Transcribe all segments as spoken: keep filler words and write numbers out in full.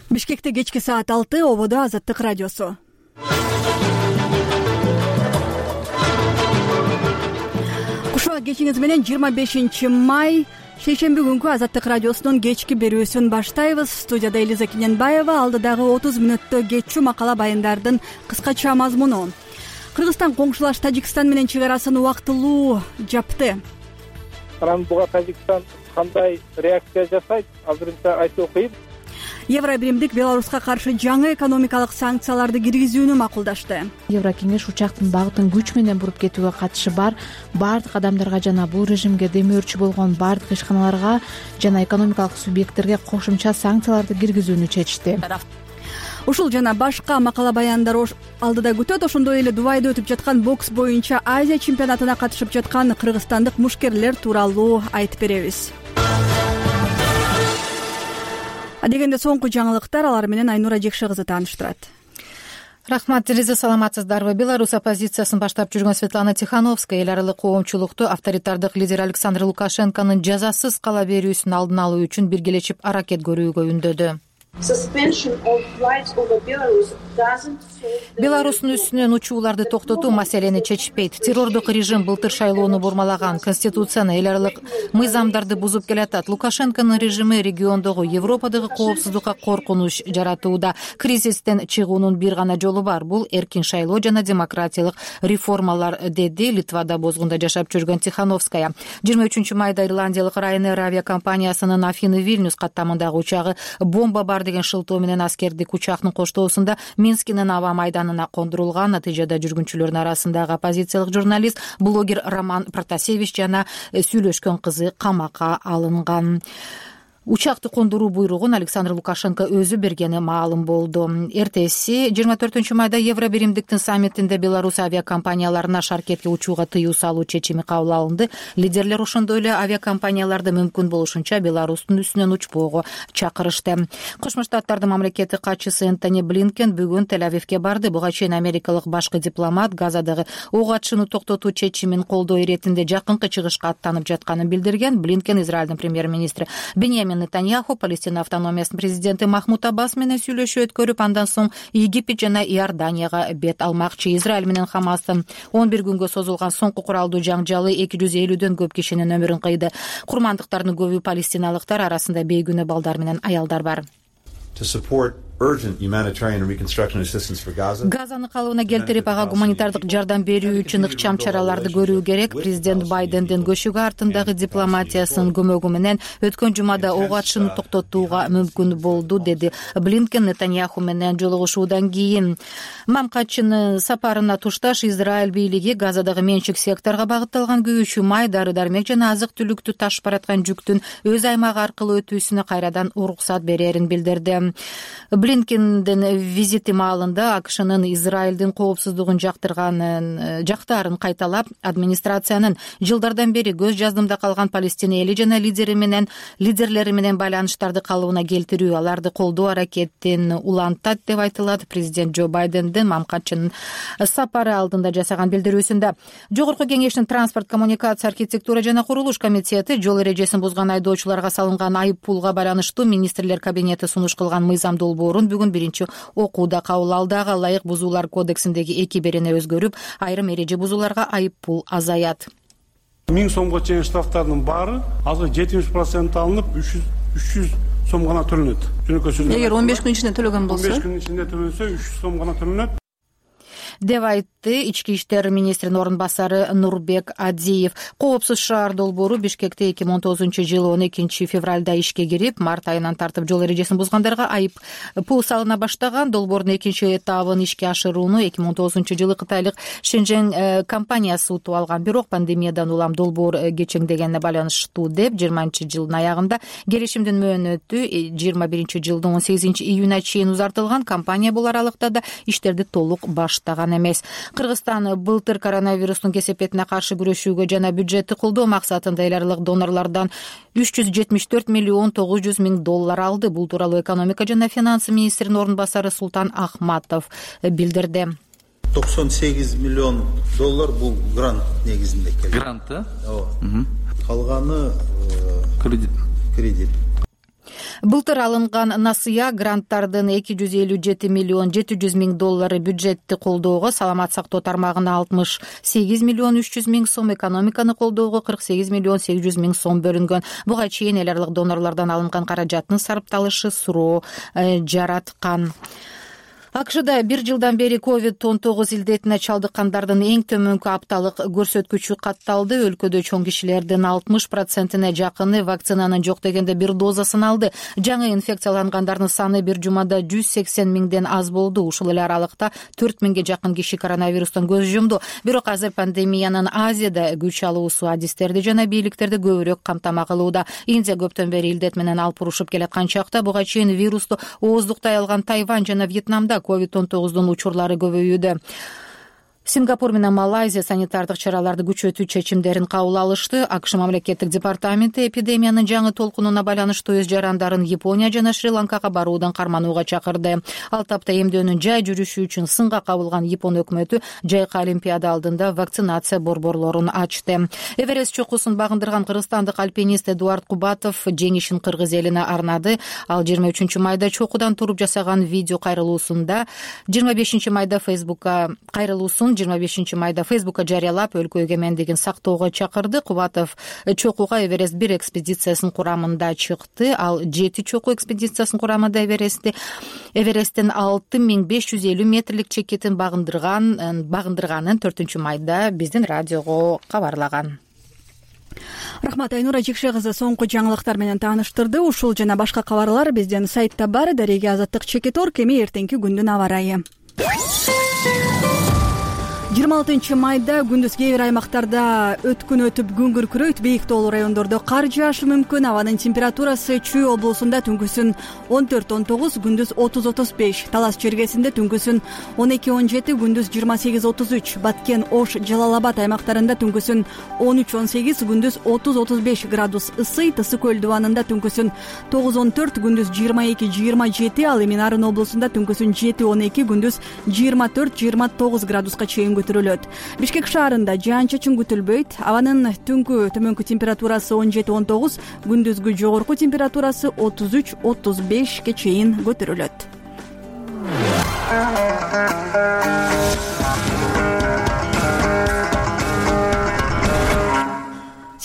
Бишкекте кечки саат алты, ободо Азаттык радиосу. Кушуа кечиңиз менен жыйырма бешинчи май шейшемби күнкү Азаттык радиосунун кечки берүүсүн баштайбыз. Студияда Элиза Киненбаева, алдыдагы отуз мүнөттө кетчү макала баяндардын кыскача мазмуну. Кыргызстан коңшулаш Тажикстан менен чек арасын убактылуу жапты. Анан буга Тажикстан кандай реакция жасайт, азырынча айтуу кыйын. Евробиримдик Беларуска каршы жаңы экономикалык санкцияларды киргизүүнү макулдашты. Еврокеңеш учактын багытын күч менен буруп кетүүгө катышы бар баардык адамдарга жана бул режимге демөөрчү болгон баардык ишканаларга жана экономикалык субъекттерге кошумча санкцияларды киргизүүнү чечти. Ушул жана башка макала баяндар алдыда күтөт. Ошондой эле Дубайда өтүп жаткан бокс боюнча Азия чемпионатына катышып жаткан кыргызстандык мушкерлер тууралуу айтып беребиз. Дегенде соңку жаңылыктар, алар менен Айнура Жекше кызы тааныштырат. Рахмат, Элиза, саламатсыздарбы? Беларусь оппозициясын баштап жүргөн Светлана Тихановская эл аралык коомчулукту авторитардык лидер Александр Лукашенконун жазасыз кала берүүсүн алдын алуу үчүн биргелешип аракет көрүүгө үндөдү. Беларустун үстүнөн учууларды токтотуу маселени чечпейт. Террордук режим былтыр шайлоону бурмалаган, конституцияны, эл аралык мыйзамдарды бузуп келатат. Лукашенконун режими региондогу, Европадагы коопсуздукка коркунуч жаратууда. Кризистен чыгуунун бир гана жолу бар. Бул эркин шайлоо жана демократиялык реформалар, деди Литвада бозгунда жашап жүргөн Тихановская. жыйырма үчүнчү майда ирландиялык Ryanair авиакомпаниясынын Афины Вильнюс каттамындагы учагы бомба бар деген шылтоо менен аскердик учактын коштоосунда Минскинин аба майданына кондурулган. Натыйжада жүргүнчүлөрдүн арасындагы оппозициялык журналист, блогер Роман Протасевич жана сүйлөшкөн кызы камакка алынган. Учакты кондуруу буйругун Александр Лукашенко өзү бергени маалым болду. Эртеси жыйырма төртүнчү майда Евробиримдиктин саммитинде Беларусь авиакомпанияларына шаркетке учууга тыюу салуу чечими кабыл алынды. Лидерлер ошондой эле авиакомпанияларды мүмкүн болушунча Беларустун үстүнөн учпоого чакырышты. Кошмо Штаттардын мамлекеттик катчысы Энтони Блинкен бүгүн Тель-Авивге барды. Буга чейин америкалык башкы дипломат Газадагы ок атышууну токтотуу чечимин колдоо иретинде жакынкы чыгышка аттанып жатканын билдирген. Блинкен Израилдин премьер-министри Беньямин Нетаньяху, Палестина автономиясынын президенти Махмуд Аббас менен сүйлөшүү өткөрүп, андан соң Египет жана Иорданияга бет алмакчы. Израиль менен Хамастын он бир күнгө созулган соңку куралдуу жаңжалы эки жүз элүүдөн көп кишинин өмүрүн кыйды. Курмандыктардын көбү палестиналыктар, арасында бейгүнө балдар менен аялдар бар. Газаны калыбына келтирип, ага гуманитардык жардам берүү үчүн ыкчам чараларды көрүү керек. Президент Байдендин көчүгө артындагы дипломатиясынын көмөгү менен өткөн жумада ок атышууну токтотууга мүмкүн болду, деди Блинкен Нетаньяху менен жолугушуудан кийин. Мамкатчынын сапарына тушташ Израиль бийлиги Газадагы менчик секторго багытталган күйүүчү май, дары-дармек жана азык-түлүктү ташып бараткан жүктүн өз аймагы аркылуу өтүүсүнө кайрадан уруксат берерин билдирди. Блинкендин визити маалында АКШнын Израилдин коопсуздугун жактырганын жактарын кайталап, администрациянын жылдардан бери көз жаздымда калган Палестина эли жана лидери менен лидерлери менен байланыштарды калыбына келтирүү, аларды колдоо аракетин улантат деп айтылат. Президент Джо Байдендин мамкатчынын сапары алдында жасаган билдирүүсүндө. Жогорку кеңештин транспорт, коммуникация, архитектура жана курулуш комитети жол эрежесин бузган айдоочуларга салынган айып пулга байланыштуу министрлер кабинети сунуш кылган мыйзам долбоорун бүгүн биринчи окууда кабыл алды. Ага ылайык бузуулар кодексиндеги эки берене өзгөрүп, айрым эреже бузууларга айып пул азаят. миң сомго чейин штрафтардын баары азыр жетимиш процент алынып, үч жүз сом гана төлөнөт. Эгер он беш күн ичинде төлөгөн болсо, он беш күн ичинде төлөнсө үч жүз сом гана төлөнөт. деп айтты ички иштер министринин орун басары Нурбек Адиев. Коопсуз шаар долбоору Бишкекте эки миң он тогузунчу жылы он экинчи февралда ишке кирип, март айынан тартып жол эрежесин бузгандарга айып пул салына баштаган. Долбоордун экинчи этабын ишке ашырууну эки миң он тогузунчу жылы кытайлык Шэньчжэнь компаниясы утуп алган. Бирок пандемиядан улам долбоор кечеңдегенине байланыштуу деп жыйырманчы жылдын аягында келишимдин мөөнөтү жыйырма биринчи жылдын он сегизинчи июнуна чейин узартылган. Компания бул аралыкта да иштерди толук баштаган эмес. Кыргызстан былтыр коронавирустун кесепетине каршы күрөшүүгө жана бюджетти колдоо максатында эл аралык донорлордон үч жүз жетимиш төрт миллион тогуз жүз миң доллар алды. Бул тууралуу экономика жана финансы министринин орун басары Султан Ахматов билдирди. токсон сегиз миллион доллар бул грант негизинде келди. Грант, э? Ооба. Калганы кредит. Кредит. Былтыр алынган насыя гранттардын эки жүз элүү жети миллион жети жүз миң доллары бюджетти колдоого, саламат сактоо тармагына алтымыш сегиз миллион үч жүз миң сом, экономиканы колдоого кырк сегиз миллион сегиз жүз миң сом бөлүнгөн. Буга чейин эл аралык донорлордон алынган каражаттын сарпталышы суроо жараткан. АКШда бир жылдан бери ковид он тогуз илдетине чалдыккандардын эң төмөнкү апталык көрсөткүчү катталды. Өлкөдө чоң кишилердин алтымыш процентине жакыны вакцинанын жок дегенде бир дозасын алды. Жаңы инфекциялангандардын саны бир жумада жүз сексен миңден аз болду. Ушул эле аралыкта төрт миңге жакын киши коронавирустан көз жумду. Бирок азыр пандемиянын Азияда күч алуусу адистерди жана бийликтерди көбүрөөк камтама кылууда. Индия көптөн бери илдет менен алпурушуп келаткан чакта буга чейин вирусту ооздуктай алган Тайвань жана Вьетнамда ковид он тогуздун учурлары көбөйүүдө. Сингапур менен Малайзия санитардык чараларды күчөтүү чечимдерин кабыл алышты. АКШ мамлекеттик департаменти эпидемиянын жаңы толкунуна байланыштуу өз жарандарын Япония жана Шри-Ланкага баруудан карманууга чакырды. Ал тапта эмдөөнүн жай жүрүшү үчүн сынга кабылган Япон өкмөтү жайкы Олимпиада алдында вакцинация борборлорун ачты. Эверест чокусун багындырган кыргызстандык альпинист Эдуард Кубатов жеңишин кыргыз элине арнады. Ал жыйырма үчүнчү майда чокудан туруп жасаган видео кайрылуусунда жыйырма бешинчи майда Фейсбукка кайрылуусун жыйырма бешинчи майда Фейсбукка жарыялап, өлкө эгемендигин сактоого чакырды. Кубатов чокуга Эверест бир экспедициясынын курамында чыкты. Ал жети чоку экспедициясынын курамында Эверестти Эвересттин алты миң беш жүз элүү метрлик чекитин багындырган багындырганын төртүнчү майда биздин радиого кабарлаган. Рахмат, Айнура Жекше кызы соңку жаңылыктар менен тааныштырды. Ушул жана башка кабарлар биздин сайтта бар. Дареге Азаттык Чекит орг. Эми эртеңки күндүн аба ырайы. жыйырма алтынчы майда күндүз кээ бир аймактарда өткүн өтүп күн күркүрөйт. Бийик тоолуу райондордо кар жаашы мүмкүн. Абанын температурасы Чүй облусунда түнкүсүн он төрт он тогуз, күндүз отуз отуз беш, Талас чергесинде түнкүсүн он эки он жети, күндүз жыйырма сегиз отуз үч, Баткен, Ош, Жалал Абад аймактарында түнкүсүн он үч он сегиз, күндүз отуз отуз беш градус ысый. Тысы көл дубанында түнкүсүн тогуз он төрт, күндүз жыйырма эки жыйырма жети, ал эми Нарын облусунда түнкүсүн жети он эки, күндүз жыйырма төрт жыйырма тогуз градуска чейин көтөрүлөт. Бишкек шаарында жаан-чачын күтүлбөйт. Абанын түнкү төмөнкү температурасы он жети он тогуз, күндүзгү жогорку температурасы отуз үч отуз бешке чейин көтөрүлөт.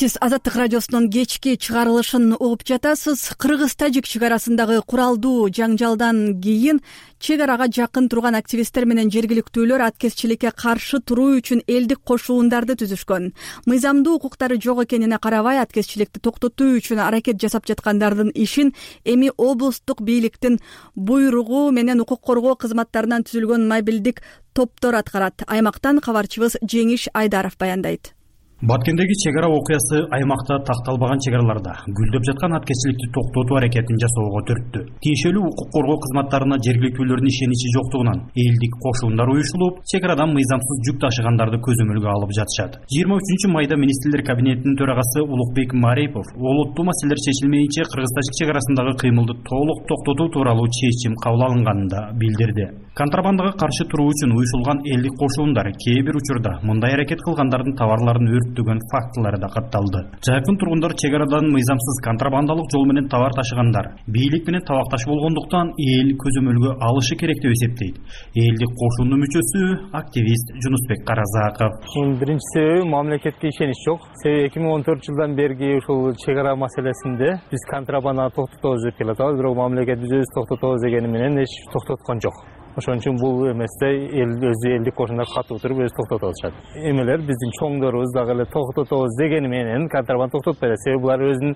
Сиз Азаттык радиосунун кечки чыгарылышын угуп жатасыз. Кыргыз-тажик чек арасындагы куралдуу жаңжалдан кийин чек арага жакын турган активисттер менен жергиликтүүлөр аткезчиликке каршы туруу үчүн элдик кошуундарды түзүшкөн. Мыйзамдуу укуктары жок экенине карабай, аткезчиликти токтотуу үчүн аракет жасап жаткандардын ишин эми облустук бийликтин буйругу менен укук коргоо кызматтарынан түзүлгөн мобилдик топтор аткарат. Аймактан кабарчыбыз Жеңиш Айдаров баяндайт. Баткендеги чек ара окуясы аймакта такталбаган чек араларда гүлдөп жаткан аткезчиликти токтотуу аракетин жасоого түрттү. Тиешелүү укук коргоо кызматтарына жергиликтүүлөрдүн ишеничи жоктугунан элдик кошуундар уюшулуп, чек арадан мыйзамсыз жүк ташыгандарды көзөмөлгө алып жатышат. жыйырма үчүнчү майда министрлер кабинетинин төрагасы Улукбек Марипов олуттуу маселелер чечилмейинче Кыргыз-тажик чек арасындагы кыймылды толук токтотуу тууралуу чечим кабыл алынганын да билдирди. Контрабандага каршы туруу үчүн уюшулган элдик кошуундар кээ бир учурда мындай аракет кылгандардын товарларын өрттөгөн фактылары да катталды. Жакын тургундар чек арадан мыйзамсыз контрабандалык жол менен товар ташыгандар бийлик менен табакташ болгондуктан эл көзөмөлгө алышы керек деп эсептейт. Элдик кошуунун мүчөсү активист Жунусбек Каразаков. Биринчи себеби мамлекетке ишенич жок. Себеби эки миң он төртүнчү жылдан берги ушул чек ара маселесинде биз контрабанданы токтотобуз деп келатабыз, бирок мамлекет биз өзүбүз токтотобуз дегени менен эч токтоткон жок. Ошон үчүн бул эместе эл өзү элдик кошуундар катуу туруп өзү токтотуп атышат. Эмелер биздин чоңдорубуз дагы эле токтотобуз дегени менен контрабанда токтотпайт. Себеби булар өзүнүн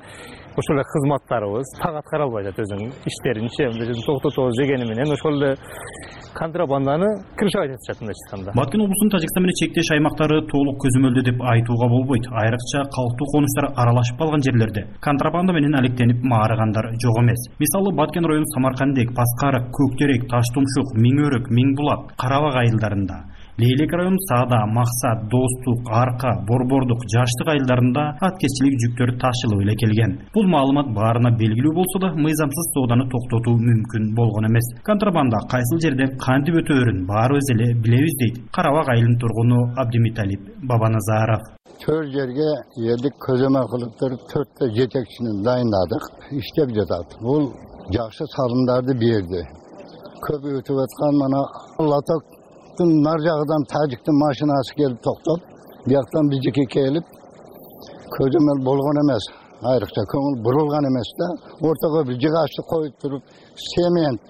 ошол эле кызматтарыбыз так аткара албайт өзүнүн иштеринчи токтотобуз дегени менен ошол эле контрабанданы крышабайт атышат мындай айтканда. Баткен облусунун Тажикстан менен чектеш аймактары толук көзөмөлдө деп айтууга болбойт. Айрыкча калктуу конуштар аралашып калган жерлерде контрабанда менен алектенип маарыгандар жок эмес. Мисалы Баткен району Самаркандек, Паскарык, Көктерек, Таштумшук, Миңөрүк, Миңбулак, Карабак айылдарында Лейлек району Саада, Максат, Достук, Арка, Борбордук, Жаштык айылдарында аткезчилик жүктөр ташылып эле келген. Бул маалымат баарына белгилүү болсо да, мыйзамсыз сооданы токтотуу мүмкүн болгон эмес. Контрабанда кайсыл жерден кантип өтөөрүн баарыбыз эле билебиз дейт Карабак айылынын тургуну Абдимиталип Бабаназаров. Төрт жерге элдик көзөмө кылып туруп төрттө жетекчини дайындадык, иштеп жатат. Бул жакшы салымдарды берди. Көп өтүп аткан мана Латоктун нар жагынан тажиктин машинасы келип токтоп, бияктан бижеке келип көзөмөл болгон эмес. Айрыкча көңүл бурулган эмес да. Ортого бир жыгачты коюп туруп, семент,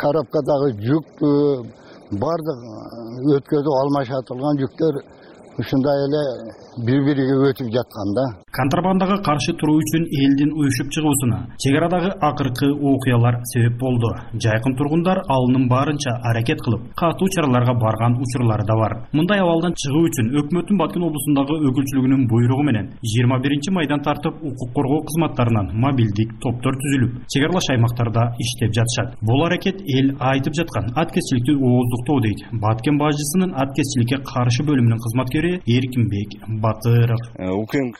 коробкадагы жүк бардык өткөзүп алмашатылган жүктөр ушундай эле бири-бириге өтүп жатканда. Контрабандага каршы туруу үчүн элдин уюшуп чыгуусуна чек арадагы акыркы окуялар себеп болду. Жайкын тургундар алынын баарынча аракет кылып, катуу чараларга барган учурлары да бар. Мындай абалдан чыгуу үчүн өкмөттүн Баткен облусундагы өкүлчүлүгүнүн буйругу менен жыйырма биринчи майдан тартып укук коргоо кызматтарынан мобилдик топтор түзүлүп, чек аралаш аймактарда иштеп жатышат. Бул аракет эл айтып жаткан аткезчиликти ооздуктоо дейт Баткен бажысынын аткезчиликке каршы бөлүмүнүн кызматкери Эркинбек Батыров. УКМК,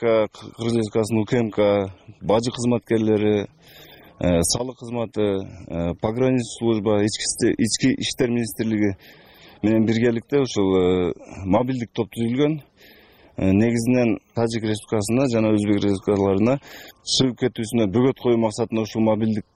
Кыргыз Республикасынын УКМК бажы кызматкерлери, салык кызматы, пограничный служба, ички иштер министрлиги менен биргеликте ушул мобилдик топ түзүлгөн. Негизинен Тажик Республикасына жана Өзбек Республикаларына чыгып кетүүсүнө бөгөт коюу максатында ушул мобилдик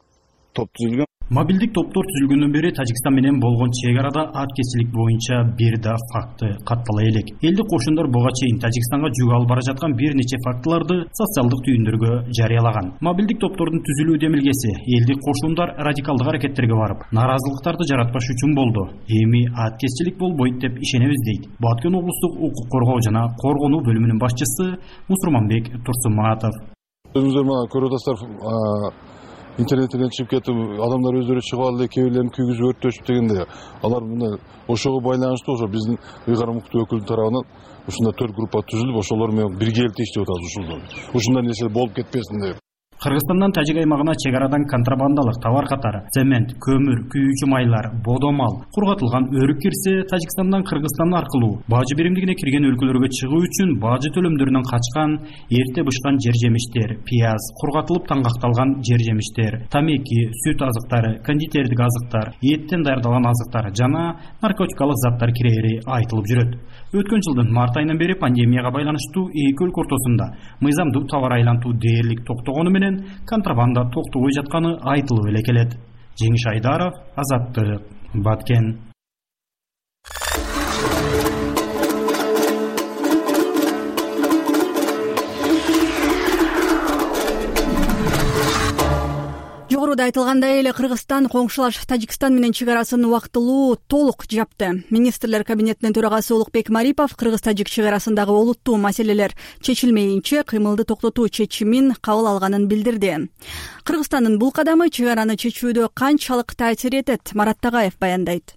топ түзүлгөн. Мобилдик топтор түзүлгөндөн бери Тажикстан менен болгон чек арада аткезчилик боюнча бир да факты каттала элек. Элдик кошундор буга чейин Тажикстанга жүк алып бара жаткан бир нече фактыларды социалдык түйүндөргө жарыялаган. Мобилдик топтордун түзүлүү демилгеси элдик кошундар радикалдык аракеттерге барып, наразылыктарды жаратпаш үчүн болду. Эми аткезчилик болбойт деп ишенебиз дейт Баткен облустук укук коргоо жана коргонуу бөлүмүнүн башчысы Мусурманбек Турсуматов. Өзүңүздөр мына көрүп атасыздар, интернеттен чыгып кетип, адамдар өздөрү чыгып алды, кээ бирлерин күйгүзүп өрттөшүп дегенде, алар мына ошого байланыштуу ошо биздин ыйгарым укуктуу өкүлдүн тарабынан ушундай төрт группа түзүлүп, ошолор менен биргеликте иштеп атабыз ушул. Ушундай нерсе болуп кетпесин деп. Кыргызстандан Тажик аймагына чек арадан контрабандалык товар катары цемент, көмүр, күйүүчү майлар, бодомал, кургатылган өрүк кирсе, Тажикстандан Кыргызстан аркылуу бажы биримдигине кирген өлкөлөргө чыгуу үчүн бажы төлөмдөрүнөн качкан эрте бышкан жер жемиштер, пияз, кургатылып таңгакталган жер жемиштер, тамеки, сүт азыктары, кондитердик азыктар, эттен даярдалган азыктар жана наркотикалык заттар кирери айтылып жүрөт. Өткөн жылдын март айынан бери пандемияга байланыштуу эки өлкө ортосунда мыйзамдуу товар айлантуу дээрлик токтогону менен контрабанда токтобой жатканы айтылып эле келет. Жеңиш Айдаров, Азаттык, Баткен. Жогоруда айтылгандай эле Кыргызстан коңшулаш Тажикстан менен чек арасын убактылуу толук жапты. Министрлер кабинетинин төрагасы Улукбек Марипов Кыргыз-Тажик чек арасындагы олуттуу маселелер чечилмейинче кыймылды токтотуу чечимин кабыл алганын билдирди. Кыргызстандын бул кадамы чек араны чечүүдө канчалык таасир этет? Марат Тагаев баяндайт.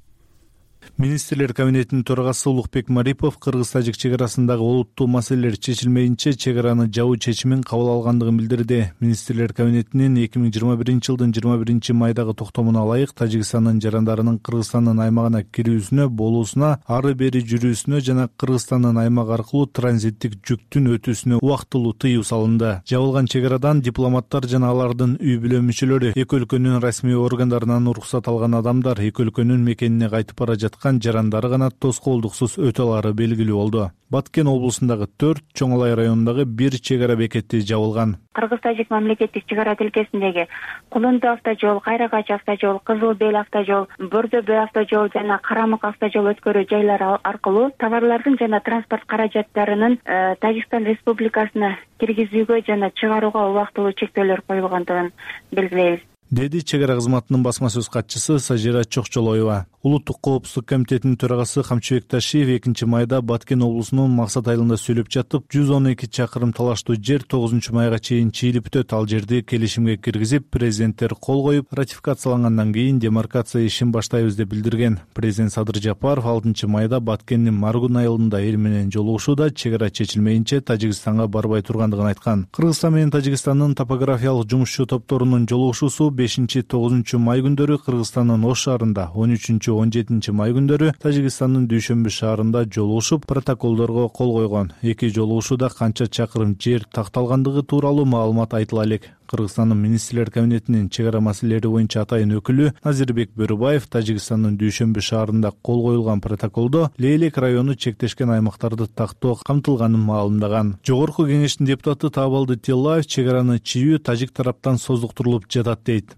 Министрлер кабинетинин төрагасы Улукбек Марипов Кыргыз-Тажик чек арасындагы олуттуу маселелер чечилмейинче чек араны жабуу чечимин кабыл алгандыгын билдирди. Министрлер кабинетинин эки миң жыйырма биринчи жылдын жыйырма биринчи майдагы токтомуна ылайык Тажикстандын жарандарынын Кыргызстандын аймагына кирүүсүнө, болуусуна, ары бери жүрүүсүнө жана Кыргызстандын аймак аркылуу транзиттик жүктүн өтүүсүнө убактылуу тыюу салынды. Жабылган чек арадан дипломаттар жана алардын үй бүлө мүчөлөрү, эки өлкөнүн расмий органдарынан уруксат алган адамдар, эки өлкөнүн мекенине кайтып бара жаткан жарандары гана тоскоолдуксуз өтө алары белгилүү болду. Баткен облусундагы төрт, Чоң Алай районундагы бир чек ара бекети жабылган. Кыргыз-Тажик мамлекеттик чек ара тилкесиндеги Кулунду автожол, Кайрагач автожол, Кызыл Бел автожол, Бөрдө автожол жана Карамык автожол өткөрүү жайлары аркылуу товарлардын жана транспорт каражаттарынын Тажикстан Республикасына киргизүүгө жана чыгарууга убактылуу чектөөлөр коюлгандыгын белгилейбиз, деди чек ара кызматынын басма сөз катчысы Сажира Чокчолоева. Улуттук коопсуздук комитетинин төрагасы Камчыбек Ташиев экинчи майда Баткен облусунун Максат айылында сүйлөп жатып, жүз он эки чакырым талаштуу жер тогузунчу майга чейин чийилип өтөт. Ал жерди келишимге киргизип, президенттер кол коюп, ратификациялангандан кийин демаркация ишин баштайбыз деп билдирген. Президент Садыр Жапаров алтынчы майда Баткендин Маргун айылында эл менен жолугушууда чек ара чечилмейинче Тажикстанга барбай тургандыгын айткан. Кыргызстан менен Тажикстандын топографиялык жумушчу топторунун жолугушуусу бешинчи тогузунчу май күндөрү Кыргызстандын Ош шаарында, он үчүнчү он жетинчи май күндөрү Тажикстандын Дүйшөмбү шаарында жолугушуп, протоколдорго кол койгон. Эки жолугушууда канча чакырым жер такталгандыгы тууралуу маалымат айтыла элек. Кыргызстандын министрлер кабинетинин чек ара маселелери боюнча атайын өкүлү Назирбек Бөрүбаев Тажикстандын Дүйшөмбү шаарында кол коюлган протоколдо Лейлек району чектешкен аймактарды тактоо камтылганын маалымдаган. Жогорку кеңештин депутаты Таабалды Тиллаев чек араны чийүү тажик тараптан создуктурулуп жатат дейт.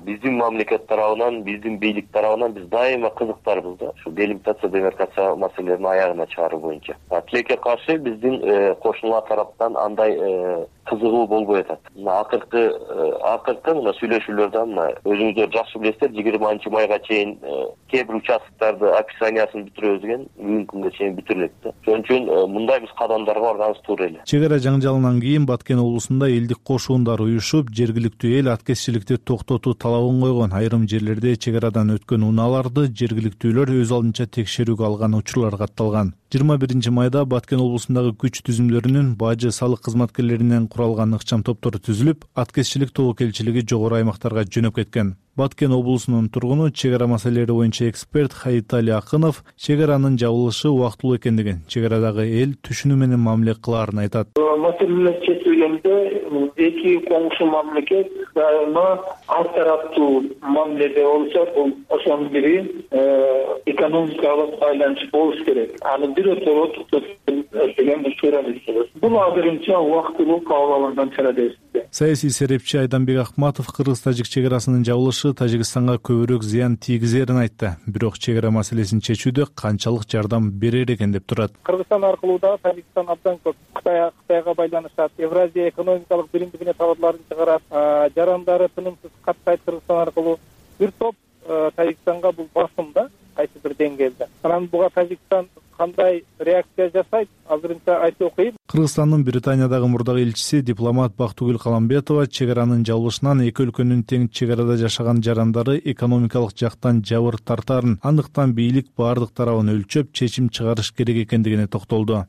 Биздин мамлекет тарабынан, биздин бийлик тарабынан биз дайыма кызыктарбыз да, ушу делимитация, демаркация маселелерин аягына чыгаруу боюнча. Тилекке каршы биздин кошуналар тараптан андай кызыгуу болбой атат. Мына акыркы акыркы мына сүйлөшүүлөрдө мына өзүңүздөр жакшы билесиздер, жыйырманчы майга чейин кээ бир участоктарды описаниясын бүтүрөбүз деген бүгүнкү күнгө чейин бүтүрүлөт да. Ошон үчүн мындай биз кадамдарга барганыбыз туура эле. Чек ара жаңжалынан кийин Баткен облусунда элдик кошундар уюшуп, жергиликтүү эл аткезчиликти токтотуу талабын койгон. Айрым жерлерде чек арадан өткөн унааларды жергиликтүүлөр өз алдынча текшерүүгө алган учурлар катталган. жыйырма биринчи майда Баткен облусундагы күч түзүмдөрүнүн бажы салык кызматкерлеринен куралган ыкчам топтору түзүлүп, аткезчилик тобокелчилиги жогору аймактарга жөнөп кеткен. Баткен облусунун тургуну, чек ара маселелери боюнча эксперт Хаитали Акынов чек аранын жабылышы убактылуу экендигин, чек арадагы эл түшүнүү менен мамиле кылаарын айтат. Маселелер чечилгенде эки коңшу мамлекет дайыма ал тараптуу мамиледе болсо, бул ошонун бири экономикалык байланыш болуш керек. Аны бирөтөрө токтотуп деген туура эмес. Бул азырынча убактылуу кабыл алынган чара дейсиз. Саясий серепчи Айданбек Акматов кыргыз-тажик чек арасынын жабылышы Тажикстанга көбүрөөк зыян тийгизерин айтты. Бирок чек ара маселесин чечүүдө канчалык жардам берер экен деп турат. Кыргызстан аркылуу да Тажикстан абдан көп Кытай Кытайга байланышат. Евразия экономикалык биримдигине товарларын чыгарат. Жарандары тынымсыз каттайт Кыргызстан аркылуу. Бир топ Тажикстанга бул басым да, кайсы бир деңгээлде. Анан буга Тажикстан кандай реакция жасайт, азырынча айтып окуйм. Кыргызстандын Британиядагы мурдагы элчиси дипломат Бактыгүл Каламбетова чек аранын жабылышынан эки өлкөнүн тең чек арада жашаган жарандары экономикалык жактан жабыр тартарын, андыктан бийлик бардык тарабын өлчөп чечим чыгарыш керек экендигине токтолду.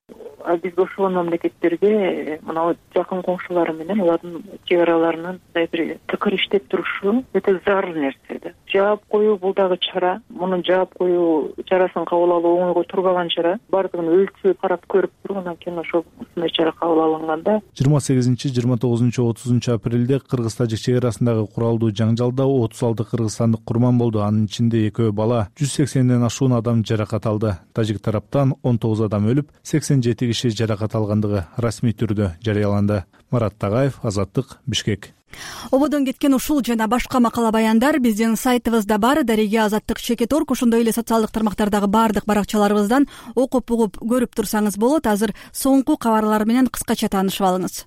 Биз кошулган мамлекеттерге мына жакын коңшулары менен алардын чек араларынын бир тыкыр иштеп турушу өтө зарыл нерсе да. Жаап коюу бул дагы чара. Мунун жаап коюу чарасын кабыл алуу оңойго турбаган чара. Бардыгын өлчөп карап көрүп туруп, анан кийин ошол ушундай чара кабыл алынганда жыйырма сегизинчи, жыйырма тогузунчу, отузунчу апрелде кыргыз-тажик чек арасындагы куралдуу жаңжалда отуз алты кыргызстандык курман болду. Анын ичинде экөө бала, жүз сексенден ашуун адам жаракат алды. Тажик тараптан он тогуз адам өлүп, сексен жети киши жаракат алгандыгы расмий түрдө жарыяланды. Марат Тагаев, Азаттык, Бишкек. Ободон кеткен ушул жана башка макала баяндар биздин сайтыбызда бар. Дареге Азаттык чекит точка орг, ошондой эле социалдык тармактардагы баардык баракчаларыбыздан окуп угуп көрүп турсаңыз болот. Азыр соңку кабарлар менен кыскача таанышып алыңыз.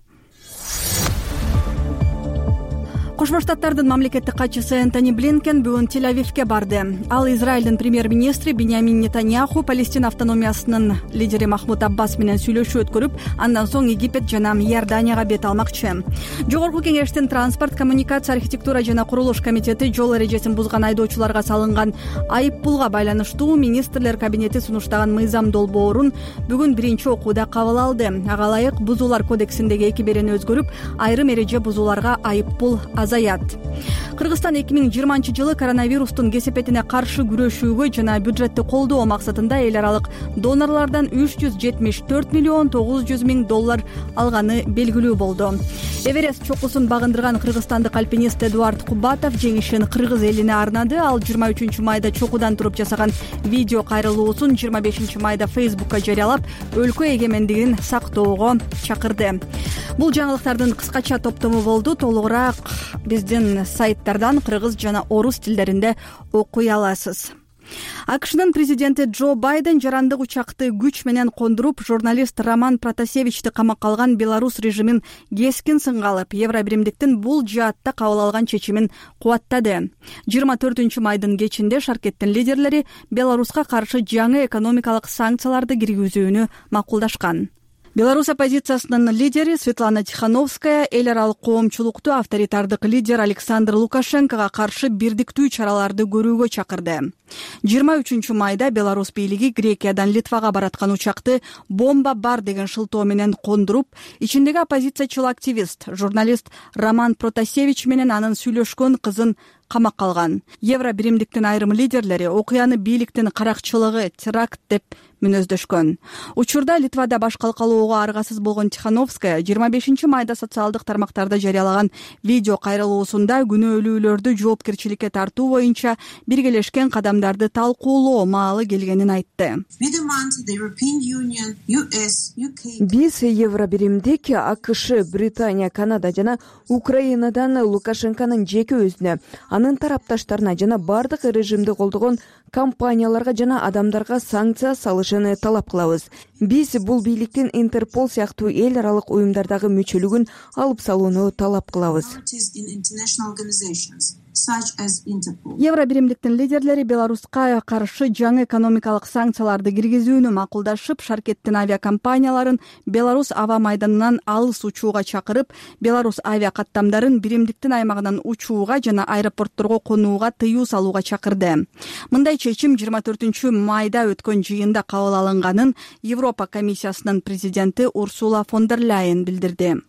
Кошмо Штаттардын мамлекеттик катчысы Энтони Блинкен бүгүн Тель-Авивке барды. Ал Израилдин премьер-министри Биньямин Нетаньяху, Палестина автономиясынын лидери Махмуд Аббас менен сүйлөшүү өткөрүп, андан соң Египет жана Иорданияга бет алмакчы. Жогорку кеңештин транспорт, коммуникация, архитектура жана курулуш комитети жол эрежесин бузган айдоочуларга салынган айып пулга байланыштуу министрлер кабинети сунуштаган мыйзам долбоорун бүгүн биринчи окууда кабыл алды. Ага ылайык бузуулар кодексиндеги эки берени өзгөрүп, айрым эреже бузууларга айып пул азаят. Кыргызстан эки миң жыйырманчы жылы коронавирустун кесепетине каршы күрөшүүгө жана бюджетти колдоо максатында эл аралык донорлордон үч жүз жетимиш төрт миллион тогуз жүз миң доллар алганы белгилүү болду. Эверест чокусун багындырган кыргызстандык альпинист Эдуард Кубатов жеңишин кыргыз элине арнады. Ал жыйырма үчүнчү майда чокудан туруп жасаган видео кайрылуусун жыйырма бешинчи майда Фейсбукка жарыялап, өлкө эгемендигин сактоого чакырды. Бул жаңылыктардын кыскача топтому болду. Толугураак биздин сайттардан кыргыз жана орус тилдеринде окуй аласыз. АКШнын президенти Джо Байден жарандык учакты күч менен кондуруп, журналист Роман Протасевичти камакка алган Беларусь режимин кескин сынга алып, Евробиримдиктин бул жаатта кабыл алган чечимин кубаттады. жыйырма төртүнчү майдын кечинде шаркеттин лидерлери Беларуска каршы жаңы экономикалык санкцияларды киргизүүнү макулдашкан. Беларусь оппозициясынын лидери Светлана Тихановская эл аралык коомчулукту авторитардык лидер Александр Лукашенкого каршы бирдиктүү чараларды көрүүгө чакырды. жыйырма үчүнчү майда Беларусь бийлиги Грекиядан Литвага бараткан учакты бомба бар деген шылтоо менен кондуруп, ичиндеги оппозициячыл активист, журналист Роман Протасевич менен анын сүйлөшкөн кызын камакка алган. Евро биримдиктин айрым лидерлери окуяны бийликтин каракчылыгы, теракт деп мүнөздөшкөн. Учурда Литвада баш калкалоого аргасыз болгон Тихановская жыйырма бешинчи майда социалдык тармактарда жарыялаган видео кайрылуусунда күнөөлүүлөрдү жоопкерчиликке тартуу боюнча биргелешкен кадамдарды талкуулоо маалы келгенин айтты. Биз Евро биримдик, АКШ, Британия, Канада жана Украинадан Лукашенконун жеке өзүнө, анын тарапташтарына жана бардык режимди колдогон компанияларга жана адамдарга санкция салышын талап кылабыз. Биз бул бийликтин Интерпол сыяктуу эл аралык уюмдардагы мүчөлүгүн алып салууну талап кылабыз. Евро биримдиктин лидерлери Беларуска каршы жаңы экономикалык санкцияларды киргизүүнү макулдашып, шаркеттин авиакомпанияларын Беларусь аба майданынан алыс учууга чакырып, Беларусь авиакаттамдарын биримдиктин аймагынан учууга жана аэропортторго конууга тыюу салууга чакырды. Мындай чечим жыйырма төртүнчү майда өткөн жыйында кабыл алынганын Европа комиссиясынын президенти Урсула фон дер Ляйен билдирди.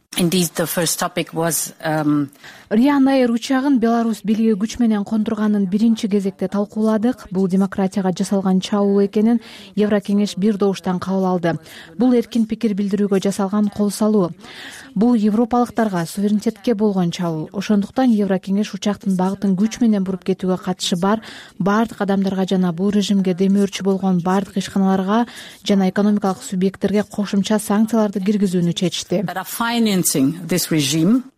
Ryanair учагын Беларусь бийлиги күч менен кондурганын биринчи кезекте талкууладык. Бул демократияга жасалган чабуул экенин Еврокеңеш бир добуштан кабыл алды. Бул эркин пикир билдирүүгө жасалган кол салуу. Бул европалыктарга суверенитетке болгон чабуул. Ошондуктан Еврокеңеш учактын багытын күч менен буруп кетүүгө катышы бар бардык адамдарга жана бул режимге демөөрчү болгон бардык ишканаларга жана экономикалык субъекттерге кошумча санкцияларды киргизүүнү чечти.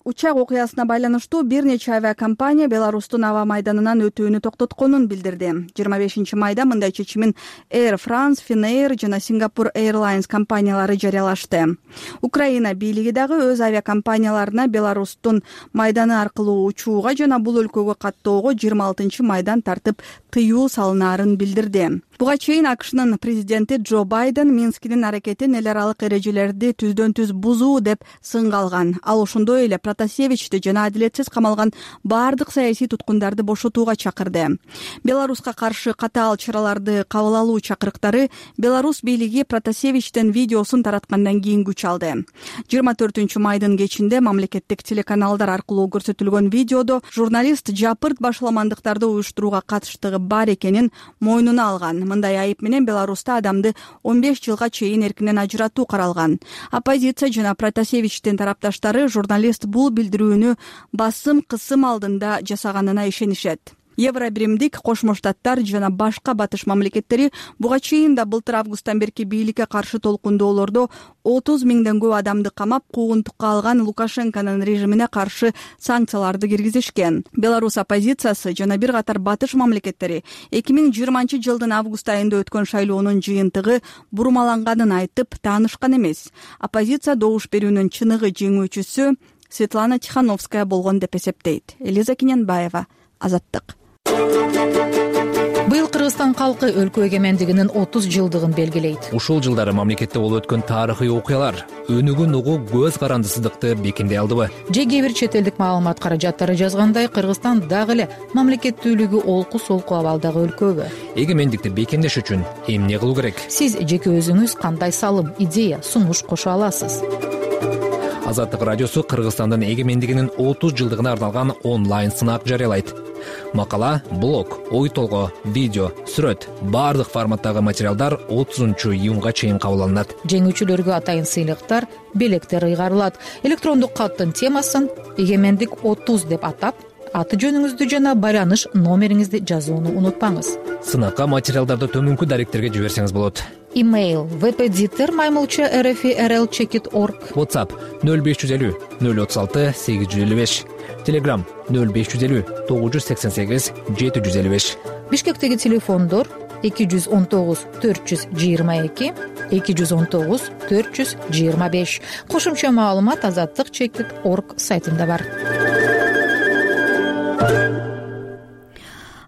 Учак окуясына байланыштуу бир нече авиакомпания Беларустун аба майданынан өтүүнү токтотконун билдирди. жыйырма бешинчи майда мындай чечимин Air France, Finnair жана Singapore Airlines компаниялары жарыялашты. Украина бийлиги дагы өз авиакомпанияларына Беларустун майданы аркылуу учууга жана бул өлкөгө каттоого жыйырма алтынчы майдан тартып тыюу салынаарын билдирди. Буга чейин АКШнын президенти Джо Байден Минскинин аракетин эл аралык эрежелерди түздөн түз бузуу деп сынга алган. Ал ошондой эле Протасевичти жана адилетсиз камалган бардык саясий туткундарды бошотууга чакырды. Беларуска каршы катаал чараларды кабыл алуу чакырыктары Беларусь бийлиги Протасевичтин видеосун тараткандан кийин күч алды. жыйырма төртүнчү майдын кечинде мамлекеттик телеканалдар аркылуу көрсөтүлгөн видеодо журналист жапырт башаламандыктарды уюштурууга катыштыгы бар экенин мойнуна алган. Мындай айып менен Беларуста адамды он беш жылга чейин эркинен ажыратуу каралган. Оппозиция жана Протасевичтин тарапташтары журналист бул билдирүүнү басым кысым алдында жасаганына ишенишет. Евро биримдик, Кошмо Штаттар жана башка батыш мамлекеттери буга чейин да былтыр августтан берки бийликке каршы толкундоолордо отуз миңден көп адамды камап, куугунтукка алган Лукашенконун режимине каршы санкцияларды киргизишкен. Беларусь оппозициясы жана бир катар батыш мамлекеттери эки миң жыйырманчы жылдын август айында өткөн шайлоонун жыйынтыгы бурмаланганын айтып таанышкан эмес. Оппозиция добуш берүүнүн чыныгы жеңүүчүсү Светлана Тихановская болгон деп эсептейт. Элиза Киненбаева, Азаттык. Быйыл Кыргызстан калкы өлкө эгемендигинин отуз жылдыгын белгилейт. Ушул жылдары мамлекетте болуп өткөн тарыхый окуялар өнүгүн угуу көз карандысыздыкты бекемдей алдыбы? Же кээ бир чет элдик маалымат каражаттары жазгандай, Кыргызстан дагы эле мамлекеттүүлүгү олку солку абалдагы өлкөбү? Эгемендикти бекемдеш үчүн эмне кылуу керек? Сиз жеке өзүңүз кандай салым, идея, сунуш кошо аласыз? Азаттык радиосу Кыргызстандын эгемендигинин отуз жылдыгына арналган онлайн сынак жарыялайт. Макала, блог, ой толгоо, видео, сүрөт, бардык форматтагы материалдар отузунчу июнга чейин кабыл алынат. Жеңүүчүлөргө атайын сыйлыктар, белектер ыйгарылат. Электрондук каттын темасын эгемендик отуз деп атап, аты жөнүңүздү жана байланыш номериңизди жазууну унутпаңыз. Сынакка материалдарды төмөнкү даректерге жиберсеңиз болот. Имейл веб-эдитор маймылча эр эф эр эл чекит точка орг. WhatsApp нөл беш жүз элүү нөл отуз алты сегиз жүз элүү беш. Telegram нөл беш жүз элүү тогуз жүз сексен сегиз жети жүз элүү беш. Бишкектеги телефондор эки жүз он тогуз төрт жүз жыйырма эки эки жүз он тогуз төрт жүз жыйырма беш. Кошумча маалымат азаттык чекит точка орг сайтында бар.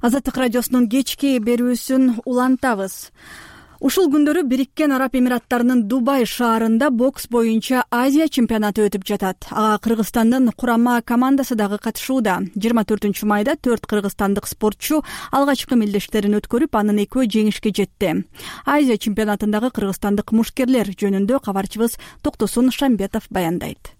Азаттык радиосунун кечки берүүсүн улантабыз. Ушул күндөрү Бириккен Араб Эмираттарынын Дубай шаарында бокс боюнча Азия чемпионаты өтүп жатат. Ага Кыргызстандын курама командасы дагы катышууда. жыйырма төртүнчү майда төрт кыргызстандык спортчу алгачкы мелдештерин өткөрүп, анын экөө жеңишке жетти. Азия чемпионатындагы кыргызстандык мушкерлер жөнүндө кабарчыбыз Токтосун Шамбетов баяндайт.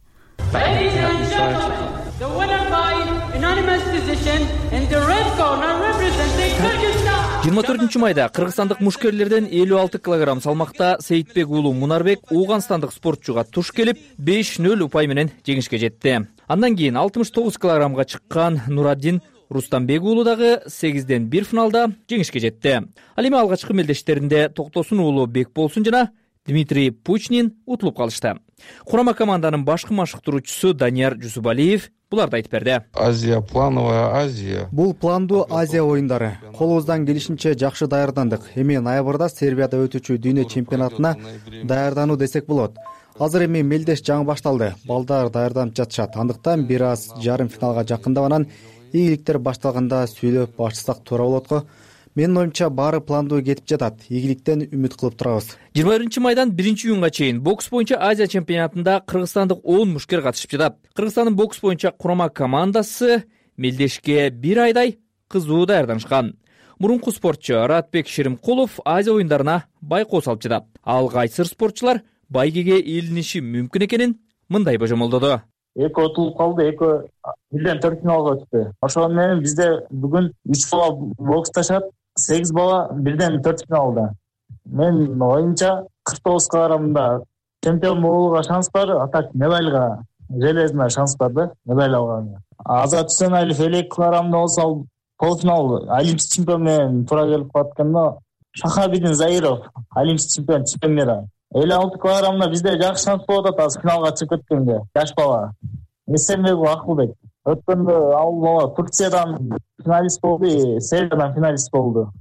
жыйырма төртүнчү майда кыргызстандык мушкерлерден элүү алты килограмм салмакта Сейитбек уулу Мунарбек Ууганстандык спортчуга туш келип беш нөл упай менен жеңишке жетти. Андан кийин алтымыш тогуз килограммга чыккан Нураддин Рустамбек уулу дагы сегизден бир финалда жеңишке жетти. Ал эми алгачкы мелдештеринде Токтосун уулу Бекболсун жана Дмитрий Пучнин утулуп калышты. Курама команданын башкы машыктыруучусу Данияр Жусупалиев буларды айтып берди. Азия, плановая Азия. Бул пландуу Азия оюндары. Колубуздан келишинче жакшы даярдандык. Эми ноябрда Сербияда өтүүчү дүйнө чемпионатына даярдануу десек болот. Азыр эми мелдеш жаңы башталды. Балдар даярданып жатышат. Андыктан бир аз жарым финалга жакындап анан ийгиликтер башталганда сүйлөп башсак туура болот го. Менин оюмча баары пландуу кетип жатат. Ийгиликтен үмүт кылып турабыз. жыйырма биринчи майдан биринчи июнга чейин бокс боюнча Азия чемпионатында кыргызстандык он мушкер катышып жатат. Кыргызстандын бокс боюнча курама командасы мелдешке бир айдай кызуу даярданышкан. Мурунку спортчу Ратбек Шеримкулов Азия оюндарына байкоо салып жатат. Ал кайсыр спортчулар байгеге ээлениши мүмкүн экенин мындай божомолдоду. Экөө утулуп калды, экөө бирден төрт финалга өттү. Ошол менен бизде бүгүн үч бала боксташат, сегиз бала бирден төрт финалда. Мен оюмча кырк тогуз килограммда чемпион болууга шанс бар, а так медальга железный шанс бар да, медаль алганга. Азат Үсеналиев элүү эки килограммда болсо ал полуфинал олимпийский чемпион менен туура келип калат экен да. Шахабидин Заиров олимпийский чемпион, чемпион мира. элүү алты килограммда бизде жакшы шанс болуп атат азыр финалга чыгып кеткенге. Жаш бала Эсенбеков Акылбек. Өткөндө ал бала Турциядан финалист болду, Сербиядан финалист болду.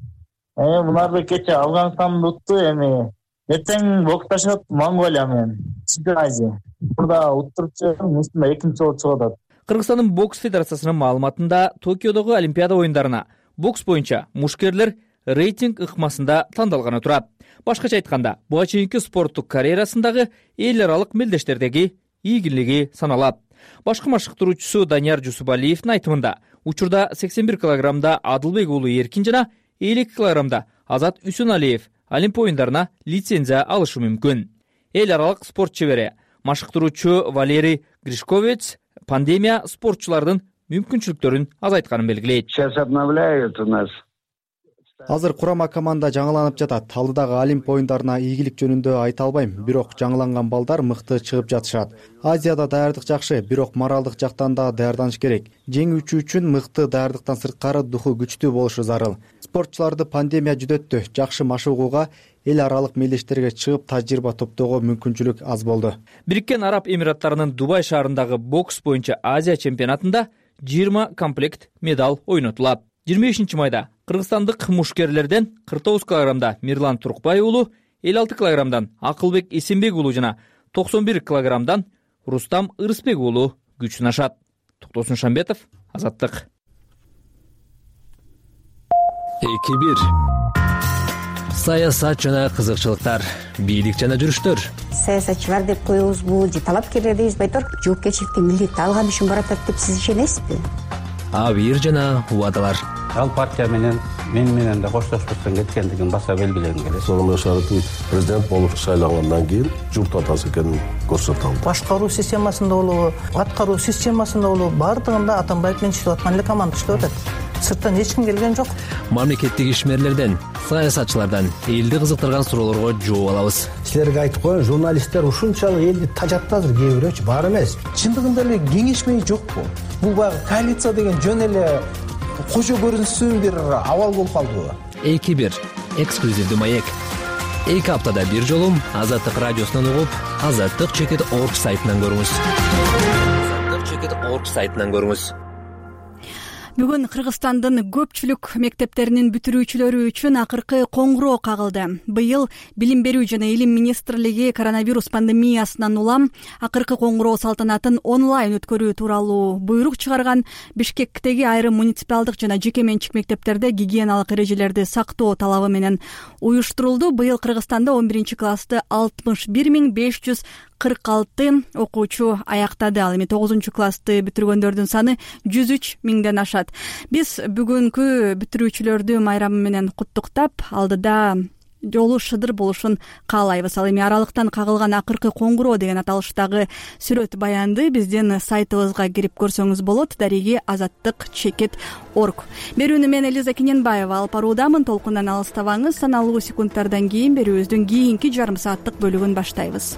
Э, Мунарбек кече Афганистанды утту, эми эртең боксташат Монголия менен. Чемпион Азия. Мурда уттурчу, мусунда экинчи болуп чыгып атат. Кыргызстандын бокс федерациясынын маалыматында Токиодогу Олимпиада оюндарына бокс боюнча мушкерлер рейтинг ыкмасында тандалганы турат. Башкача айтканда, буга чейинки спорттук карьерасындагы эл аралык мелдештердеги ийгилиги саналат. Башкы машыктыруучусу Данияр Жусупалиевдин айтымында, учурда сексен бир килограммда Адылбек уулу Эркин жана элүү эки килограммда Азат Үсеналиев Олимп оюндарына лицензия алышы мүмкүн. Эл аралык спорт чебери машыктыруучу Валерий Гришковец пандемия спортчулардын мүмкүнчүлүктөрүн азайтканын белгилейт. Сейчас обновляют у нас. Азыр курама команда жаңыланып жатат. Алдыдагы Олимп оюндарына ийгилик жөнүндө айта албайм, бирок жаңыланган балдар мыкты чыгып жатышат. Азияда даярдык жакшы, бирок моралдык жактан да даярданыш керек. Жеңүүчү үчүн мыкты даярдыктан сырткары духу күчтүү болушу зарыл. Спортчуларды пандемия жүдөттү. Жакшы машыгууга, эл аралык мелдештерге чыгып тажрыйба топтоого мүмкүнчүлүк аз болду. Бириккен Араб Эмираттарынын Дубай шаарындагы бокс боюнча Азия чемпионатында жыйырма комплект медаль ойнотулат. жыйырма бешинчи майда кыргызстандык мушкерлерден кырк тогуз килограммда Мирлан Туркбай уулу, элүү алты килограммдан Акылбек Эсенбек уулу жана токсон бир килограммдан Рустам Ырысбек уулу күч сынашат. Токтосун Шамбетов, Азаттык. эки бир саясат жана кызыкчылыктар, бийлик жана жүрүштөр. Саясатчылар деп коебузбу же талапкерлер дейбиз, байтор жоопкерчиликти милдетти алган үчүн баратат деп сиз ишенесизби? Абийир жана убадалар. Ал партия менен мен менен да коштошпостон кеткендигин баса белгилегим келет. Сооронбай Шарипович президент болуп шайлангандан кийин журт атасы экенин көрсөтө алды. Башкаруу системасында болобу, аткаруу системасында болобу, бардыгында Атамбаев менен иштеп аткан эле команда иштеп атат. Сырттан эч ким келген жок. Мамлекеттик ишмерлерден, саясатчылардан элди кызыктырган суроолорго жооп алабыз. Силерге айтып коеюн, журналисттер ушунчалык элди тажатты азыр, кээ бирөөчү бар эмес. Чындыгында эле кеңешмей жокпу? Бул баягы коалиция деген жөн эле кожо көрүнсүн бир абал болуп калдыбы? эки бир эксклюзивдүү маек. эки аптада бир жолу Азаттык радиосунан угуп, азаттык чекит орг сайтынан көрүңүз. азаттык чекит орг сайтынан көрүңүз. Бүгүн Кыргызстандын көпчүлүк мектептеринин бүтүрүүчүлөрү үчүн акыркы коңгуроо кагылды. Быйыл Билим берүү жана Илим министрлиги коронавирус пандемиясынан улам акыркы коңгуроо салтанатын онлайн өткөрүү тууралуу буйрук чыгарган. Бишкектеги айрым муниципалдык жана жеке менчик мектептерде гигиеналык эрежелерди сактоо талабы менен уюштурулду. Быйыл Кыргызстанда он биринчи классты алтымыш бир миң беш жүз кырк алты окуучу аяктады. Ал эми тогузунчу классты бүтүргөндөрдүн саны жүз үч миңден ашат. Биз бүгүнкү бүтүрүүчүлөрдү майрамы менен куттуктап, алдыда жолу шыдыр болушун каалайбыз. Ал эми аралыктан кагылган акыркы коңгуроо деген аталыштагы сүрөт баянды биздин сайтыбызга кирип көрсөңүз болот. Дареги азаттык чекит орг. Берүүнү мен Элиза Кененбаева алып баруудамын. Толкундан алыстабаңыз. Саналуу секундтардан кийин берүүбүздүн кийинки жарым сааттык бөлүгүн баштайбыз.